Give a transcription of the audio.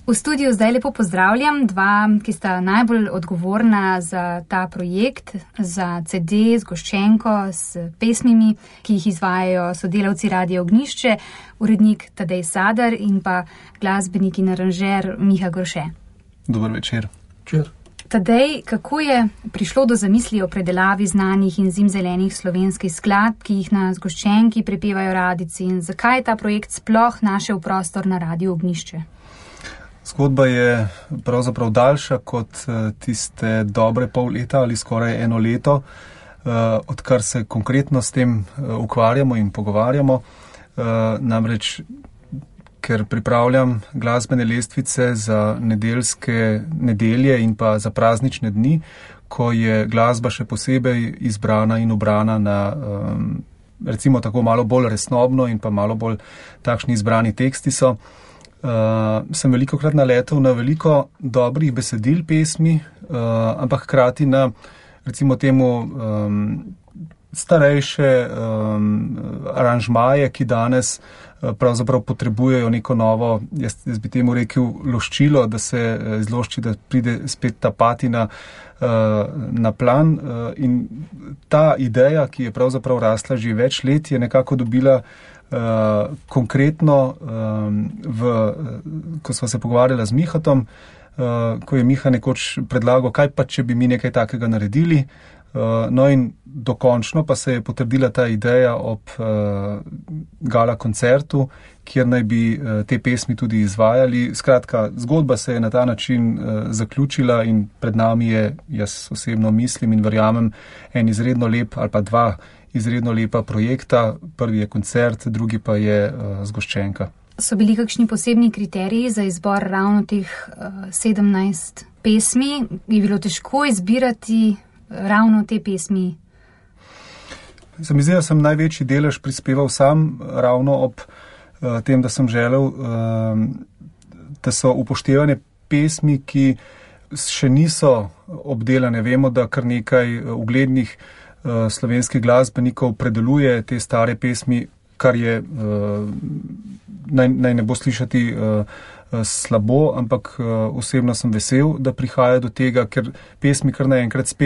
V studiu zdaj lepo pozdravljam dva, ki sta najbolj odgovorna za ta projekt, za CD z Goščenko, s pesmimi, ki jih izvajajo sodelavci Radia Ognjišče, urednik Tadej Sadar in pa glasbenik in aranžer Miha Gorše. Dober večer. Večer. Tadej, kako je prišlo do zamisli o predelavi znanih in zimzelenih slovenskih skladb, ki jih na Zgoščenki prepevajo radijci, in zakaj je ta projekt sploh našel prostor na Radiu Ognjišče? Zgodba je pravzaprav daljša kot tiste dobre pol leta ali skoraj eno leto, odkar se konkretno s tem ukvarjamo in pogovarjamo. Namreč, ker pripravljam glasbene lestvice za nedelje in pa za praznične dni, ko je glasba še posebej izbrana in ubrana na recimo tako malo bolj resnobno in pa malo bolj takšni izbrani teksti so. Sem velikokrat naletel na veliko dobrih besedil pesmi, ampak hkrati na recimo temu starejše aranžmaje, ki danes pravzaprav potrebujejo neko novo, jaz bi temu rekel, loščilo, da se izlošči, da pride spet ta patina na plan. In ta ideja, ki je pravzaprav rasla že več let, je nekako dobila konkretno, ko sva se pogovarjala z Mihatom, ko je Miha nekoč predlagal, kaj pa, če bi mi nekaj takega naredili. No in dokončno pa se je potrdila ta ideja ob gala koncertu, kjer naj bi te pesmi tudi izvajali. Skratka, zgodba se je na ta način zaključila in pred nami je, jaz osebno mislim in verjamem, en izredno lep ali pa dva izredno lepa projekta. Prvi je koncert, drugi pa je Zgoščenka. So bili kakšni posebni kriteriji za izbor ravno teh 17 pesmi? Je bilo težko izbirati ravno te pesmi? Se mi zdi, da sem največji delež prispeval sam, ravno ob tem, da sem želel, da so upoštevane pesmi, ki še niso obdelane. Vemo, da kar nekaj uglednih slovenskih glasbenikov predeluje te stare pesmi, kar je, naj ne bo slišati slabo, ampak osebno sem vesel, da prihaja do tega, ker pesmi kar naenkrat spet